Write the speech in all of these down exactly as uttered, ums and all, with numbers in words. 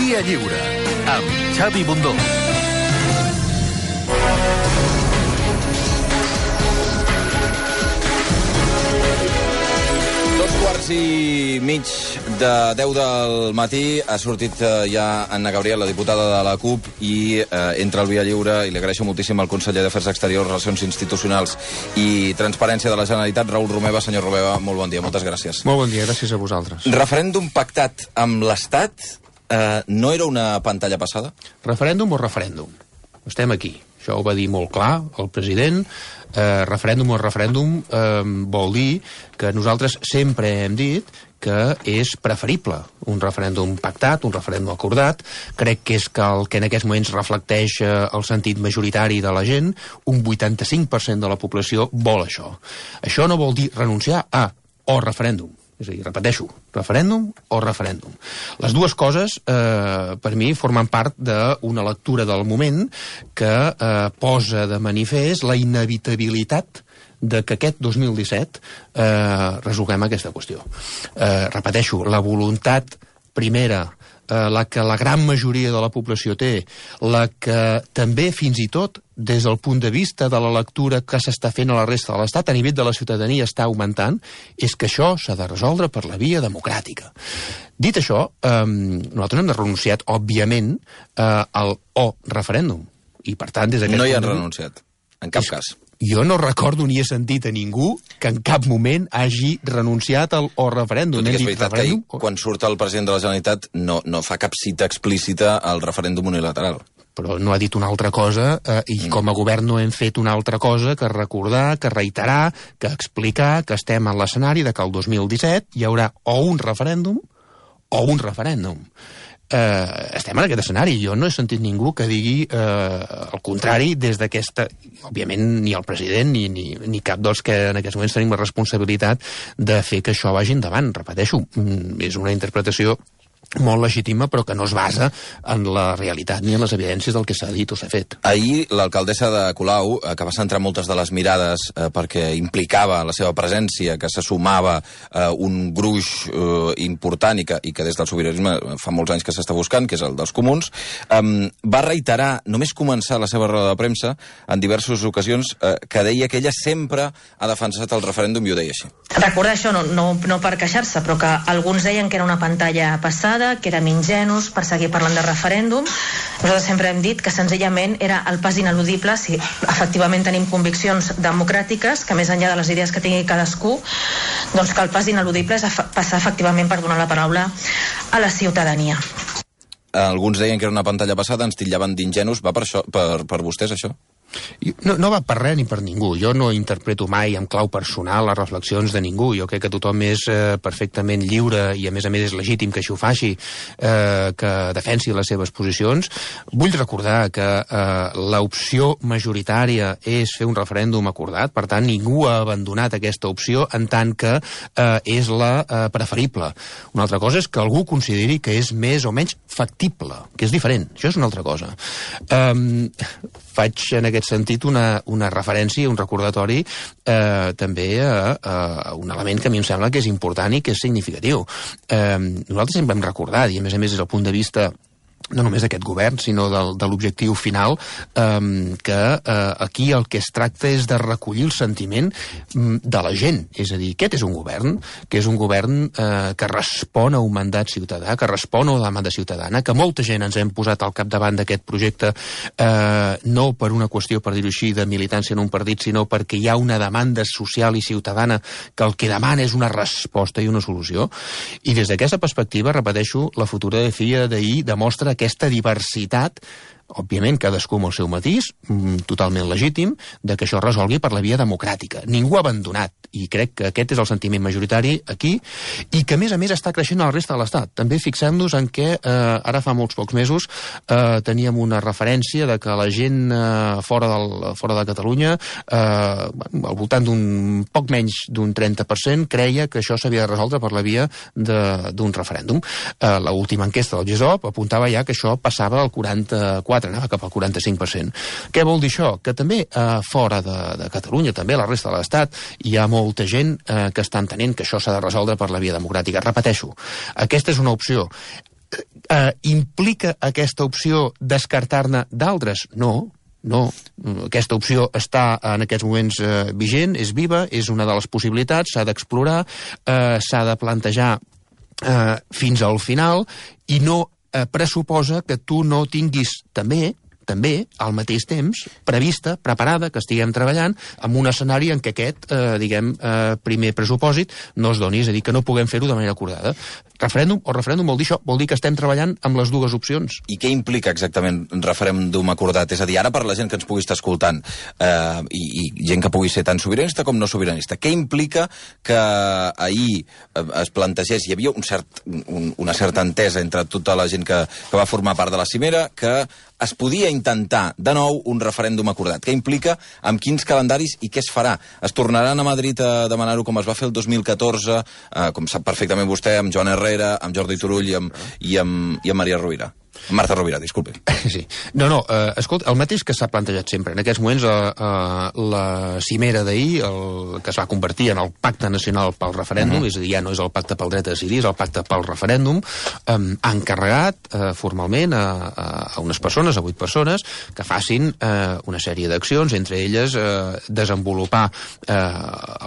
Via Lliure, amb Xavi Bundó. Dos quarts i mig de deu del matí ha sortit eh, ja Anna Gabriel, la diputada de la CUP, i eh, entra al Via Lliure, i li agraeixo moltíssim al conseller d'Afers Exteriors, Relacions Institucionals i Transparència de la Generalitat, Raül Romeva. Senyor Romeva, molt bon dia, moltes gràcies. Molt bon dia, gràcies a vosaltres. Referèndum pactat amb l'Estat eh, no era una pantalla passada? Referèndum o referèndum? Estem aquí. Això ho va dir molt clar el president. Eh, referèndum o referèndum eh, vol dir que nosaltres sempre hem dit que és preferible un referèndum pactat, un referèndum acordat. Crec que és que el que en aquests moments reflecteix eh, el sentit majoritari de la gent. Un vuitanta-cinc per cent de la població vol això. Això no vol dir renunciar a o referèndum. És a dir, repeteixo, referèndum o referèndum. Les dues coses, eh, per mi, formen part d'una lectura del moment que eh, posa de manifest la inevitabilitat de que aquest dos mil disset eh, resolguem aquesta qüestió. Eh, repeteixo, la voluntat primera, eh, la que la gran majoria de la població té, la que també, fins i tot, des del punt de vista de la lectura que s'està fent a la resta de l'Estat, a nivell de la ciutadania està augmentant, és que això s'ha de resoldre per la via democràtica. Dit això, eh, nosaltres hem de renunciat, òbviament, eh, al o referèndum. I, per tant, des d'aquest No hi han punt... renunciat, en cap cas. Jo no recordo ni he sentit a ningú que en cap moment hagi renunciat al o referèndum. Tot i que és veritat que ell, quan surt el president de la Generalitat, no, no fa cap cita explícita al referèndum unilateral. Però no ha dit una altra cosa, eh, i mm. com a govern no hem fet una altra cosa que recordar, que reiterar, que explicar que estem en l'escenari de que el dos mil disset hi haurà o un referèndum o un referèndum. Eh, estem en aquest escenari. Jo no he sentit ningú que digui eh, el contrari des d'aquesta... Òbviament, ni el president ni, ni, ni cap dels que en aquests moments tenim la responsabilitat de fer que això vagi endavant. Repeteixo, és una interpretació molt legítima, però que no es basa en la realitat ni en les evidències del que s'ha dit o s'ha fet. Ahir, l'alcaldessa de Colau, eh, que va centrar moltes de les mirades eh, perquè implicava la seva presència, que se sumava eh, un gruix eh, important i que, i que des del sobiranisme fa molts anys que s'està buscant, que és el dels comuns, eh, va reiterar, només començar la seva roda de premsa, en diverses ocasions, eh, que deia que ella sempre ha defensat el referèndum, i ho deia així. Recordar això, no, no, no per queixar-se, però que alguns deien que era una pantalla passada, que érem ingenus per seguir parlant de referèndum. Nosaltres sempre hem dit que senzillament era el pas ineludible si efectivament tenim conviccions democràtiques, que més enllà de les idees que tingui cadascú, doncs que el pas ineludible és passar efectivament per donar la paraula a la ciutadania. Alguns deien que era una pantalla passada, ens titllaven d'ingenus. Va per, això, per, per vostès, això? No, no va per res ni per ningú. Jo no interpreto mai en clau personal les reflexions de ningú. Jo crec que tothom és eh, perfectament lliure i a més a més és legítim que això ho faci, eh, que defensi les seves posicions. Vull recordar que eh, l'opció majoritària és fer un referèndum acordat, per tant ningú ha abandonat aquesta opció en tant que eh, és la eh, preferible. Una altra cosa és que algú consideri que és més o menys factible, que és diferent. Això és una altra cosa. Um, faig en aquest sentit una, una referència, un recordatori eh, també a, a un element que a mi em sembla que és important i que és significatiu. Eh, nosaltres sempre hem recordat, i a més a més des del punt de vista no només d'aquest govern, sinó del, de l'objectiu final, eh, que eh, aquí el que es tracta és de recollir el sentiment de la gent. És a dir, aquest és un govern, que és un govern eh, que respon a un mandat ciutadà, que respon a una demanda ciutadana, que molta gent ens hem posat al capdavant d'aquest projecte, eh, no per una qüestió, per dir-ho així, de militància en un partit, sinó perquè hi ha una demanda social i ciutadana que el que demana és una resposta i una solució. I des d'aquesta perspectiva, repeteixo, la fotografia d'ahir demostra aquesta diversitat, òbviament cadascú amb el seu matís, totalment legítim, de que això es resolgui per la via democràtica. Ningú ha abandonat, i crec que aquest és el sentiment majoritari aquí, i que a més a més està creixent a la resta de l'Estat. També fixem-nos en què eh, ara fa molts pocs mesos eh, teníem una referència de que la gent eh, fora, del, fora de Catalunya, eh, al voltant d'un poc menys d'un trenta per cent, creia que això s'havia de resoldre per la via d'un referèndum. Eh, L'última enquesta del G E S O P apuntava ja que això passava al quaranta-quatre, anava cap al quaranta-cinc per cent. Què vol dir això? Que també eh, fora de, de Catalunya, també a la resta de l'Estat, hi ha molta gent eh, que està entenent que això s'ha de resoldre per la via democràtica. Repeteixo, aquesta és una opció. Eh, implica aquesta opció descartar-ne d'altres? No. No, aquesta opció està en aquests moments eh, vigent, és viva, és una de les possibilitats, s'ha d'explorar, eh, s'ha de plantejar eh, fins al final, i no eh, pressuposa que tu no tinguis també, també, al mateix temps, prevista, preparada, que estiguem treballant amb un escenari en què aquest, eh, diguem, eh, primer pressupòsit no es doni, és a dir, que no puguem fer-ho de manera acordada. Referèndum o referèndum vol dir això, vol dir que estem treballant amb les dues opcions. I què implica exactament referèndum acordat? És a dir, ara per la gent que ens pugui estar escoltant eh, i, i gent que pugui ser tant sobiranista com no sobiranista, què implica que ahir eh, es plantegés, hi havia un cert, un, una certa entesa entre tota la gent que, que va formar part de la cimera, que es podia intentar de nou un referèndum acordat. Què implica, amb quins calendaris i què es farà? Es tornaran a Madrid a demanar-ho com es va fer el dos mil catorze, eh, com sap perfectament vostè, amb Joan Herrera, amb Jordi Turull i amb, i amb, i amb Maria Rovira. Marta Rovira, disculpi. Sí. No, no, eh, escolta, el mateix que s'ha plantejat sempre. En aquests moments, eh, eh, la cimera d'ahir, el que es va convertir en el Pacte Nacional pel Referèndum, uh-huh. és a dir, ja no és el Pacte pel Dret a Decidir, és el Pacte pel Referèndum, eh, ha encarregat eh, formalment a, a unes persones, a vuit persones, que facin eh, una sèrie d'accions, entre elles eh, desenvolupar eh,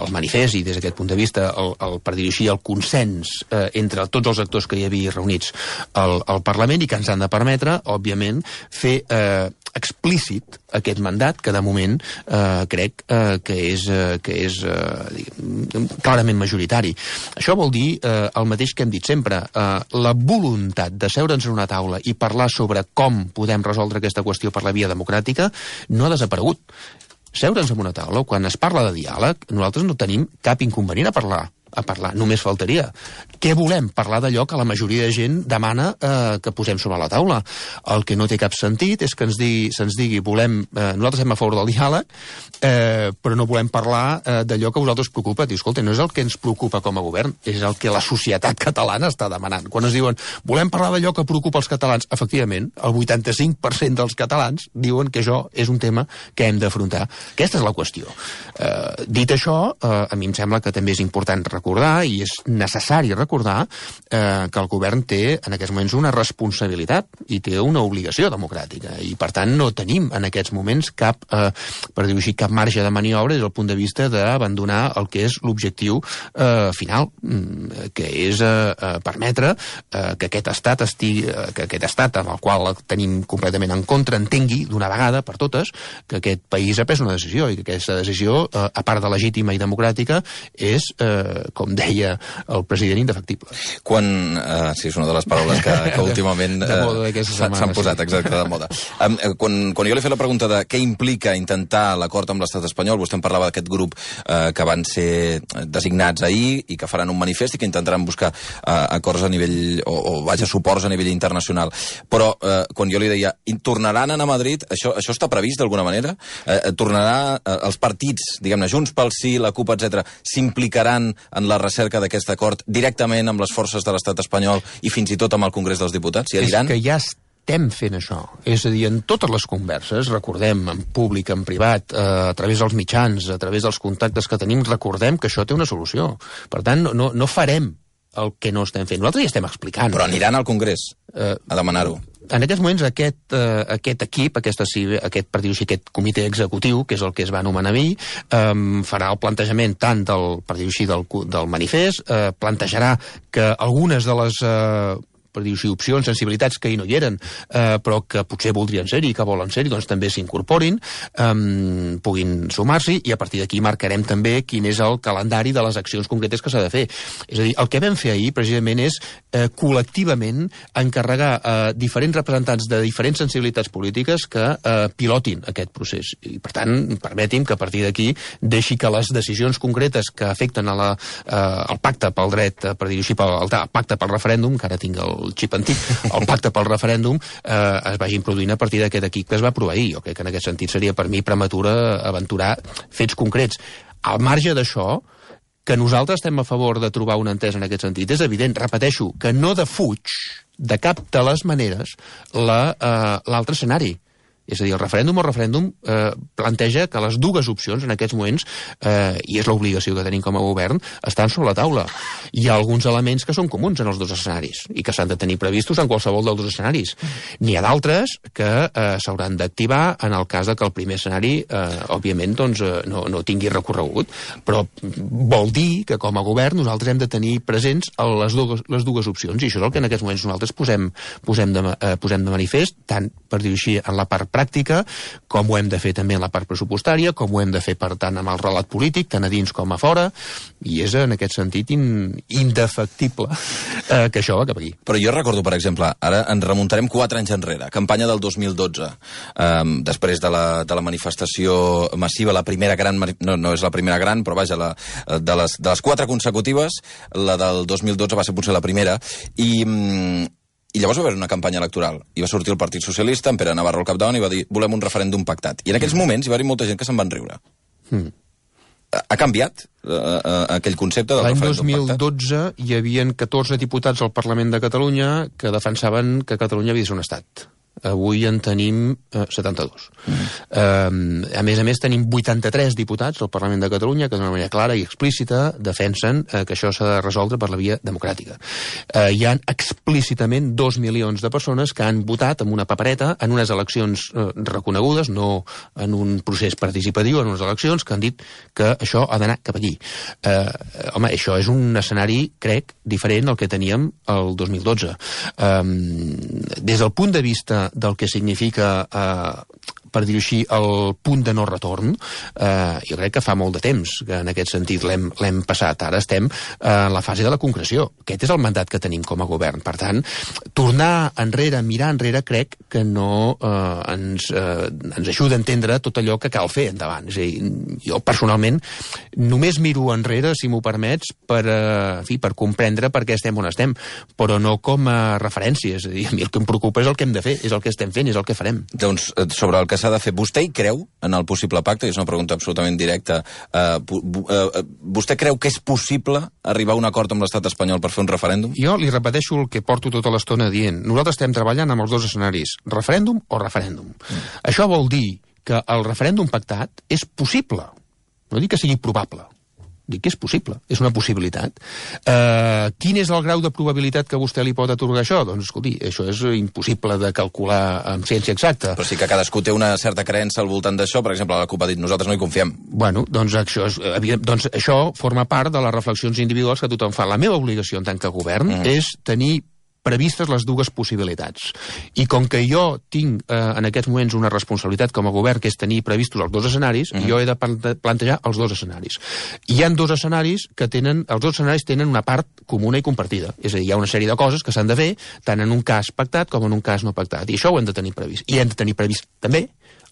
el manifest i, des d'aquest punt de vista, el, el, per dir-ho així, el consens eh, entre tots els actors que hi havia reunits al, al Parlament i que ens han de permetre, òbviament, fer eh, explícit aquest mandat, que de moment eh, crec eh, que és, eh, que és eh, diguem, clarament majoritari. Això vol dir eh, el mateix que hem dit sempre, eh, la voluntat de seure'ns en una taula i parlar sobre com podem resoldre aquesta qüestió per la via democràtica no ha desaparegut. Seure'ns en una taula, quan es parla de diàleg, nosaltres no tenim cap inconvenient a parlar. a parlar, només faltaria. Què volem? Parlar d'allò que la majoria de gent demana eh, que posem sobre la taula. El que no té cap sentit és que ens digui, se'ns digui, volem, eh, nosaltres estem a favor del diàleg, eh, però no volem parlar eh, d'allò que a vosaltres preocupa. Diu, escolta, no és el que ens preocupa com a govern, és el que la societat catalana està demanant. Quan es diuen, volem parlar d'allò que preocupa els catalans, efectivament, el vuitanta-cinc per cent dels catalans diuen que això és un tema que hem d'afrontar. Aquesta és la qüestió. Eh, dit això, eh, a mi em sembla que també és important recordar, i és necessari recordar, eh, que el govern té en aquests moments una responsabilitat i té una obligació democràtica, i per tant no tenim en aquests moments cap, eh, per dir-ho així, cap marge de maniobra des del punt de vista d'abandonar el que és l'objectiu eh, final, que és eh, permetre eh, que aquest estat estigui, eh, que aquest estat amb el qual tenim completament en contra entengui d'una vegada per totes que aquest país ha pres una decisió, i que aquesta decisió, eh, a part de legítima i democràtica, és eh, com deia el president, indefectible. Quan, uh, sí, és una de les paraules que, que últimament uh, s'han posat, sí. Exacte, de moda. Um, quan, quan jo li he fet la pregunta de què implica intentar l'acord amb l'estat espanyol, vostè em parlava d'aquest grup uh, que van ser designats ahir i que faran un manifest i que intentaran buscar uh, acords a nivell, o, o vaja, suports a nivell internacional. Però uh, quan jo li deia, tornaran a anar a Madrid, això, això està previst d'alguna manera? Uh, tornarà, uh, els partits, diguem-ne, Junts pel Sí, la CUP, etcètera, s'implicaran en la recerca d'aquest acord directament amb les forces de l'estat espanyol i fins i tot amb el Congrés dels Diputats? Hi aniran? És que ja estem fent això. És a dir, en totes les converses, recordem, en públic, en privat, eh, a través dels mitjans, a través dels contactes que tenim, recordem que això té una solució. Per tant, no, no, no farem el que no estem fent. Nosaltres ja estem explicant. Però aniran al Congrés eh, a demanar-ho. En aquests moments, aquest, eh, aquest equip, aquesta, aquest, per dir-ho així, aquest comitè executiu, que és el que es va anomenar ahir, eh, farà el plantejament tant del, per dir-ho així, del, del manifest, eh, plantejarà que algunes de les eh, per dir-ho així, opcions, sensibilitats que hi no hi eren, eh, però que potser voldrien ser-hi i que volen ser-hi, doncs també s'incorporin, eh, puguin sumar-s'hi, i a partir d'aquí marcarem també quin és el calendari de les accions concretes que s'ha de fer. És a dir, el que vam fer ahir, precisament, és eh, col·lectivament encarregar a eh, diferents representants de diferents sensibilitats polítiques que eh, pilotin aquest procés. I, per tant, permeti'm que a partir d'aquí deixi que les decisions concretes que afecten a la, eh, el pacte pel dret, eh, per dir-ho així, pel, el pacte pel referèndum, que ara tinc el el xip antic, el pacte pel referèndum, eh, es vagin produint a partir d'aquest equip que es va aprovar ahir. Jo crec que en aquest sentit seria per mi prematura aventurar fets concrets. Al marge d'això, que nosaltres estem a favor de trobar una entesa en aquest sentit, és evident, repeteixo, que no defuig de cap de les maneres l'altre la, eh, escenari. És a dir, el referèndum o referèndum eh, planteja que les dues opcions en aquests moments, eh, i és l'obligació que tenim com a govern, estan sobre la taula. Hi ha alguns elements que són comuns en els dos escenaris i que s'han de tenir previstos en qualsevol dels dos escenaris. N'hi ha d'altres que eh, s'hauran d'activar en el cas de que el primer escenari, eh, òbviament, doncs, eh, no, no tingui recorregut. Però vol dir que com a govern nosaltres hem de tenir presents les dues, les dues opcions, i això és el que en aquests moments nosaltres posem, posem, de, eh, posem de manifest, tant, per dir-ho així, en la part pràctica, com ho hem de fer també en la part pressupostària, com ho hem de fer, per tant, amb el relat polític, tant a dins com a fora, i és en aquest sentit in, indefectible eh, que això va cap aquí. Però jo recordo, per exemple, ara ens remuntarem quatre anys enrere, campanya del dos mil dotze, eh, després de la, de la manifestació massiva, la primera gran, no, no és la primera gran, però vaja, la, de, les, de les quatre consecutives, la del dos mil dotze va ser potser la primera, i... I llavors va haver una campanya electoral, i va sortir el Partit Socialista, en Pere Navarro al capdavant, i va dir, volem un referèndum pactat. I en aquells moments hi va haver molta gent que se'n van riure. Mm. Ha canviat uh, uh, aquell concepte del referèndum pactat? L'any dos mil dotze hi havia catorze diputats al Parlament de Catalunya que defensaven que Catalunya havia de ser un estat. Avui en tenim eh, setanta-dos. Mm. Eh, a més a més, tenim vuitanta-tres diputats al Parlament de Catalunya que d'una manera clara i explícita defensen eh, que això s'ha de resoldre per la via democràtica. Eh, hi ha explícitament dos milions de persones que han votat amb una papereta en unes eleccions eh, reconegudes, no en un procés participatiu, en unes eleccions que han dit que això ha d'anar cap allí. Eh, home, això és un escenari, crec, diferent al que teníem el dos mil dotze. Eh, des del punt de vista del que significa, eh, per dir-ho així, el punt de no retorn, eh, jo crec que fa molt de temps que en aquest sentit l'hem passat. Ara estem en la fase de la concreció. Aquest és el mandat que tenim com a govern. Per tant, tornar enrere, mirar enrere, crec que no eh, ens, eh, ens ajuda a entendre tot allò que cal fer endavant. És a dir, jo personalment només miro enrere, si m'ho permets, per, eh, en fi, per comprendre per què estem on estem, però no com a referència. És a dir, a mi el que em preocupa és el que hem de fer, és el que estem fent, és el que farem. Doncs sobre el que s'ha de fer, vostè hi creu en el possible pacte? És una pregunta absolutament directa. Uh, uh, vostè creu que és possible arribar a un acord amb l'estat espanyol per fer un referèndum? Jo li repeteixo el que porto tota l'estona dient. Nosaltres estem treballant amb els dos escenaris, referèndum o referèndum. Mm. Això vol dir que el referèndum pactat és possible. No dic que sigui probable. Dic que és possible, és una possibilitat. Uh, quin és el grau de probabilitat que vostè li pot atorgar això? Doncs, escolti, això és impossible de calcular amb ciència exacta. Però sí que cadascú té una certa creença al voltant d'això. Per exemple, la CUP ha dit, nosaltres no hi confiem. Bueno, doncs això, és, doncs això forma part de les reflexions individuals que tothom fa. La meva obligació en tant que govern mm. és tenir previstes les dues possibilitats. I com que jo tinc eh, en aquests moments una responsabilitat com a govern, que és tenir previstos els dos escenaris, uh-huh. jo he de plantejar els dos escenaris. Hi ha dos escenaris que tenen, els dos escenaris tenen una part comuna i compartida. És a dir, hi ha una sèrie de coses que s'han de fer, tant en un cas pactat com en un cas no pactat. I això ho hem de tenir previst. I hem de tenir previst també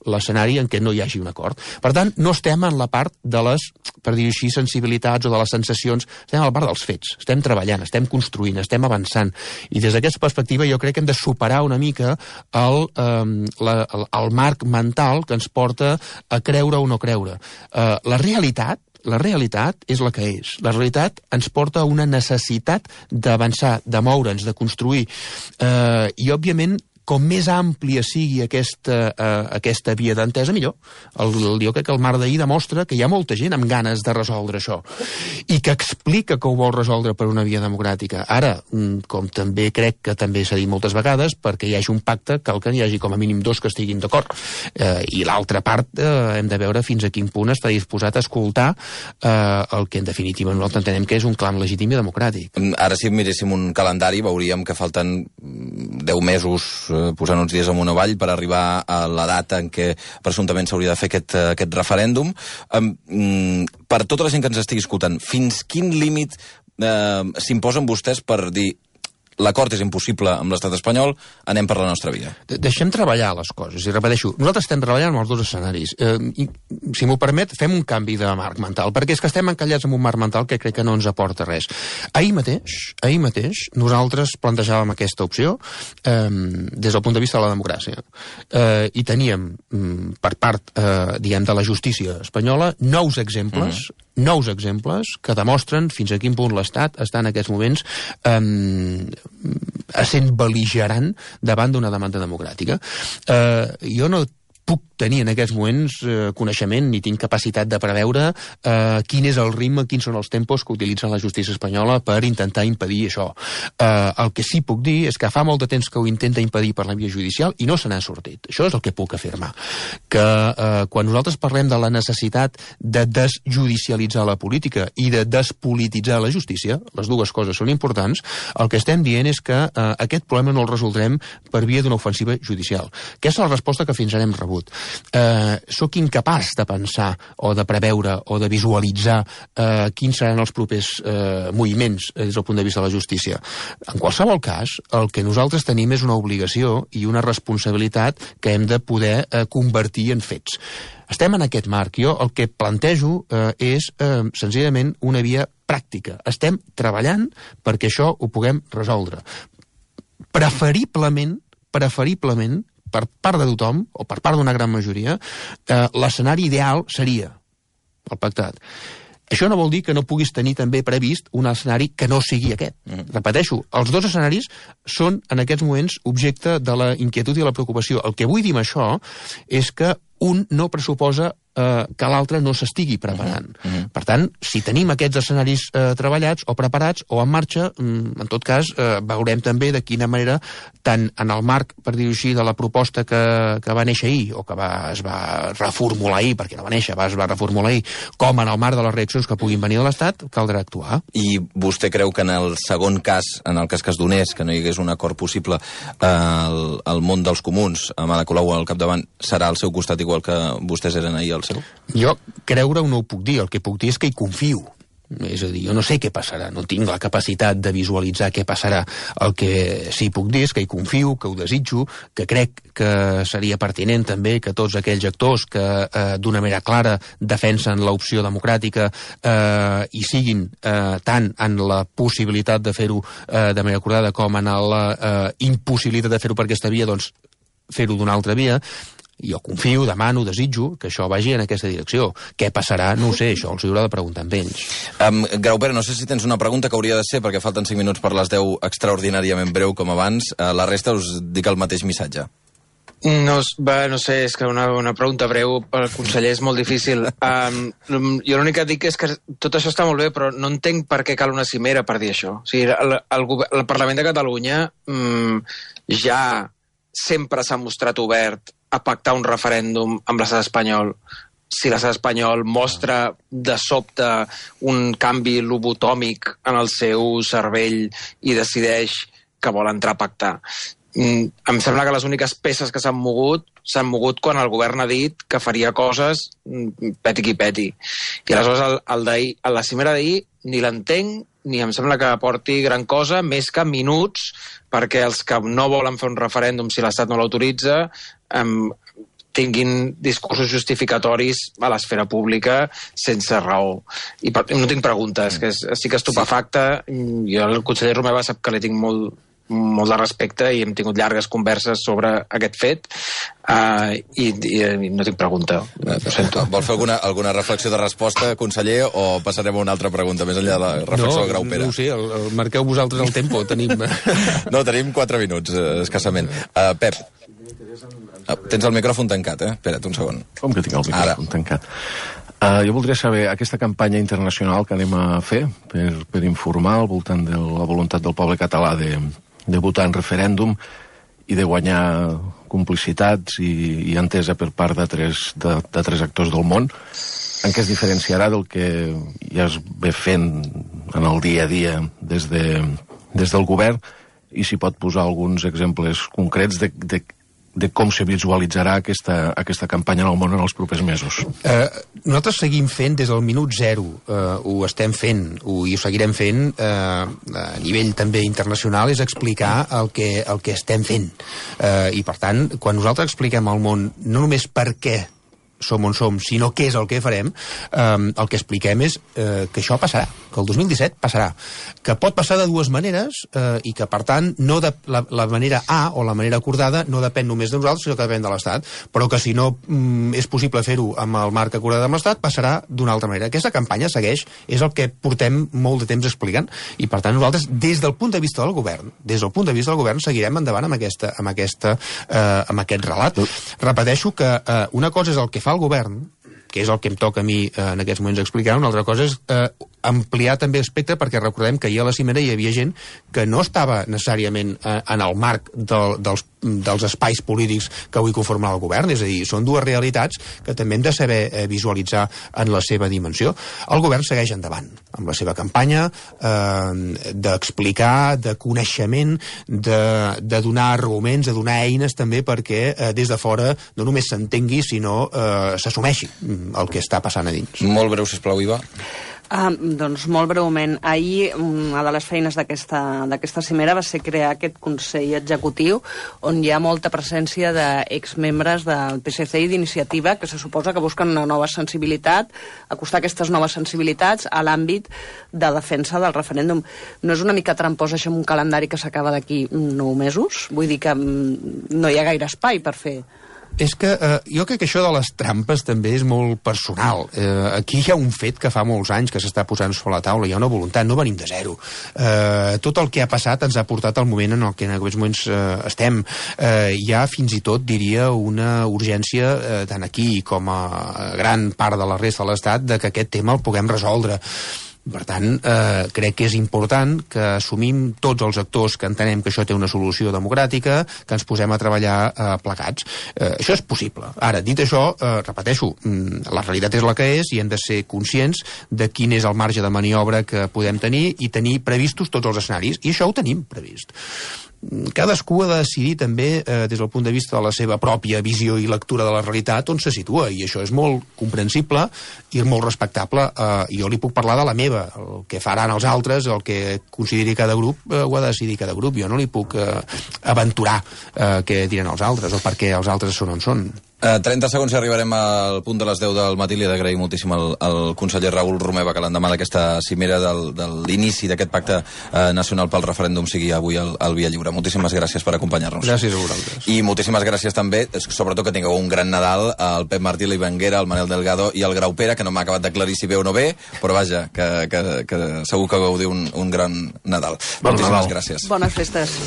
l'escenari en què no hi hagi un acord. Per tant, no estem en la part de les, per dir-ho així, sensibilitats o de les sensacions, estem a la part dels fets, estem treballant, estem construint, estem avançant, i des d'aquesta perspectiva jo crec que hem de superar una mica el, eh, la, el, el marc mental que ens porta a creure o no creure. Eh, la realitat La realitat és la que és. La realitat ens porta a una necessitat d'avançar, de moure'ns, de construir. Eh, I, òbviament, com més àmplia sigui aquesta, uh, aquesta via d'entesa, millor. El, el, jo crec que el mar d'ahir demostra que hi ha molta gent amb ganes de resoldre això i que explica que ho vol resoldre per una via democràtica. Ara, com també crec que també s'ha dit moltes vegades, perquè hi hagi un pacte cal que hi hagi com a mínim dos que estiguin d'acord. Uh, I l'altra part uh, hem de veure fins a quin punt està disposat a escoltar uh, el que en definitiva nosaltres entenem que és un clam legítim i democràtic. Ara si miréssim un calendari veuríem que falten deu mesos posant uns dies amunt o avall per arribar a la data en què presumptament s'hauria de fer aquest, aquest referèndum. Um, per tota la gent que ens estigui escoltant, fins quin límit uh, s'imposen vostès per dir l'acord és impossible amb l'estat espanyol, anem per la nostra via? De Deixem treballar les coses, i repeteixo, nosaltres estem treballant amb els dos escenaris. Eh, i, si m'ho permet, fem un canvi de marc mental, perquè és que estem encallats en un marc mental que crec que no ens aporta res. Ahir mateix, ahir mateix, nosaltres plantejàvem aquesta opció eh, des del punt de vista de la democràcia. Eh, I teníem, per part, eh, diguem, de la justícia espanyola, nous exemples, mm-hmm. nous exemples que demostren fins a quin punt l'Estat està en aquests moments eh, essent bel·ligerant davant d'una demanda democràtica. Eh, jo no puc tenir en aquests moments eh, coneixement ni tinc capacitat de preveure eh, quin és el ritme, quins són els tempos que utilitza la justícia espanyola per intentar impedir això. Eh, el que sí puc dir és que fa molt de temps que ho intenta impedir per la via judicial i no se n'ha sortit. Això és el que puc afirmar. Que eh, quan nosaltres parlem de la necessitat de desjudicialitzar la política i de despolititzar la justícia, les dues coses són importants, el que estem dient és que eh, aquest problema no el resoldrem per via d'una ofensiva judicial. Aquesta és la resposta que fins ara hem rebut. Eh, soc incapaç de pensar o de preveure o de visualitzar eh, quins seran els propers eh, moviments des del punt de vista de la justícia. En qualsevol cas, el que nosaltres tenim és una obligació i una responsabilitat que hem de poder eh, convertir en fets. Estem en aquest marc. Jo el que plantejo eh, és eh, senzillament una via pràctica. Estem treballant perquè això ho puguem resoldre. Preferiblement, preferiblement, per part de tothom, o per part d'una gran majoria, eh, l'escenari ideal seria el pactat. Això no vol dir que no puguis tenir també previst un escenari que no sigui aquest. Mm. Repeteixo, els dos escenaris són en aquests moments objecte de la inquietud i de la preocupació. El que vull dir amb això és que un no pressuposa eh, que l'altre no s'estigui preparant. Uh -huh. Per tant, si tenim aquests escenaris eh, treballats o preparats o en marxa, mm, en tot cas, eh, veurem també de quina manera, tant en el marc, per dir-ho així, de la proposta que, que va néixer ahir, o que va, es va reformular ahir, perquè no va néixer, va, es va reformular ahir, com en el marc de les reaccions que puguin venir de l'Estat, caldrà actuar. I vostè creu que en el segon cas, en el cas que es donés, que no hi hagués un acord possible, eh, el, el món dels comuns, amb Ada Colau al capdavant, serà al seu costat igual que vostès eren ahir al seu? Jo creure-ho no ho puc dir, el que puc dir és que hi confio. És a dir, jo no sé què passarà, no tinc la capacitat de visualitzar què passarà. El que sí puc dir és que hi confio, que ho desitjo, que crec que seria pertinent també que tots aquells actors que eh, d'una manera clara defensen l'opció democràtica eh, i siguin eh, tant en la possibilitat de fer-ho eh, de manera acordada com en la eh, impossibilitat de fer-ho per aquesta via, doncs fer-ho d'una altra via. Jo confio, demano, desitjo que això vagi en aquesta direcció. Què passarà? No ho sé, això els haurà de preguntar amb ells. Um, Graupera, no sé si tens una pregunta que hauria de ser, perquè falten cinc minuts per les deu, extraordinàriament breu com abans. Uh, la resta us dic el mateix missatge. No, va, no sé, és que una, una pregunta breu pel conseller és molt difícil. Um, jo l'únic que dic és que tot això està molt bé, però no entenc per què cal una cimera per dir això. O sigui, el, el, el Parlament de Catalunya um, ja sempre s'ha mostrat obert a pactar un referèndum amb l'estat espanyol. Si l'estat espanyol mostra de sobte un canvi lobotòmic en el seu cervell i decideix que vol entrar a pactar. Mm, em sembla que les úniques peces que s'han mogut s'han mogut quan el govern ha dit que faria coses peti qui peti. I aleshores el, el d'ahir, a la cimera d'ahir ni l'entenc ni em sembla que aporti gran cosa, més que minuts perquè els que no volen fer un referèndum si l'Estat no l'autoritza um, tinguin discursos justificatoris a l'esfera pública sense raó. I per, no tinc preguntes, que estic estupefacte. Jo el conseller Romeva sap que li tinc molt, molt de respecte i hem tingut llargues converses sobre aquest fet uh, i, i, i no tinc pregunta. Ho sento. Vol fer alguna, alguna reflexió de resposta, conseller, o passarem a una altra pregunta més enllà de la reflexió no, de Graupera? No ho sé, el, el marqueu vosaltres el tempo. Tenim... No, tenim quatre minuts, eh, escassament. Uh, Pep, uh, tens el micròfon tancat, eh? Espera't un segon. Com que tinc el micròfon Ara. tancat? Uh, jo voldria saber aquesta campanya internacional que anem a fer per, per informar al voltant de la voluntat del poble català de, de votar en referèndum i de guanyar complicitats i, i entesa per part de tres, de, de tres actors del món, en què es diferenciarà del que ja es ve fent en el dia a dia des, de, des del govern, i si pot posar alguns exemples concrets de, de, de com se visualitzarà aquesta, aquesta campanya en el món en els propers mesos. Eh, nosaltres seguim fent des del minut zero, eh, ho estem fent ho, i ho seguirem fent eh, a nivell també internacional, és explicar el que, el que estem fent. Eh, I per tant, quan nosaltres expliquem al món no només per què som on som, sinó què és el que farem, eh, el que expliquem és eh, que això passarà, que el dos mil disset passarà, que pot passar de dues maneres eh, i que, per tant, no de, la, la manera A o la manera acordada no depèn només de nosaltres, sinó que depèn de l'Estat, però que si no mm, és possible fer-ho amb el marc acordat amb l'Estat, passarà d'una altra manera. Aquesta campanya segueix, és el que portem molt de temps explicant, i per tant nosaltres, des del punt de vista del govern, des del punt de vista del govern, seguirem endavant amb, aquesta, amb, aquesta, eh, amb aquest relat. Repeteixo que eh, una cosa és el que fa el govern, que és el que em toca a mi eh, en aquests moments explicar, una altra cosa és eh, ampliar també l'espectre, perquè recordem que ahir a la cimera hi havia gent que no estava necessàriament eh, en el marc del, dels, dels espais polítics que avui conformen el govern, és a dir, són dues realitats que també hem de saber eh, visualitzar en la seva dimensió. El govern segueix endavant amb la seva campanya eh, d'explicar, de coneixement, de, de donar arguments, de donar eines també perquè eh, des de fora no només s'entengui, sinó eh, s'assumeixi el que està passant a dins. Molt breu, sisplau, Iva. Ah, doncs molt breument, ahir una de les feines d'aquesta cimera va ser crear aquest Consell Executiu on hi ha molta presència d'exmembres del P S C i d'Iniciativa que se suposa que busquen una nova sensibilitat, acostar aquestes noves sensibilitats a l'àmbit de defensa del referèndum. No és una mica trampós això amb un calendari que s'acaba d'aquí nou mesos? Vull dir que no hi ha gaire espai per fer... És que eh, jo crec que això de les trampes també és molt personal. Eh, aquí hi ha un fet que fa molts anys que s'està posant sobre la taula, hi ha una voluntat, no venim de zero. Eh, tot el que ha passat ens ha portat al moment en el que en aquests moments eh, estem. Eh, hi ha fins i tot, diria, una urgència, eh, tant aquí com a gran part de la resta de l'Estat, de que aquest tema el puguem resoldre. Per tant, eh, crec que és important que assumim tots els actors que entenem que això té una solució democràtica, que ens posem a treballar eh, plegats. Eh, això és possible. Ara, dit això, eh, repeteixo, la realitat és la que és i hem de ser conscients de quin és el marge de maniobra que podem tenir i tenir previstos tots els escenaris. I això ho tenim previst. Cadascú ha de decidir també eh, des del punt de vista de la seva pròpia visió i lectura de la realitat on se situa, i això és molt comprensible i molt respectable. Eh, jo li puc parlar de la meva, el que faran els altres, el que consideri cada grup, eh, ho ha de decidir cada grup. Jo no li puc eh, aventurar eh, què diran els altres o per què els altres són on són. Uh, trenta segons i arribarem al punt de les deu del matí. Li he d'agrair moltíssim al, al conseller Raül Romeva que l'endemà d'aquesta cimera del, de l'inici d'aquest pacte uh, nacional pel referèndum sigui avui al, al Via Lliure. Moltíssimes gràcies per acompanyar-nos. Gràcies a vosaltres. I moltíssimes gràcies també, sobretot que tingueu un gran Nadal, al Pep Martí, l'Ivan Guera, el Manel Delgado i el Grau Pere, que no m'ha acabat d'aclarir si bé o no bé, però vaja, que, que, que segur que gaudiu un, un gran Nadal. Bon moltíssimes Nadal. gràcies. Bones festes.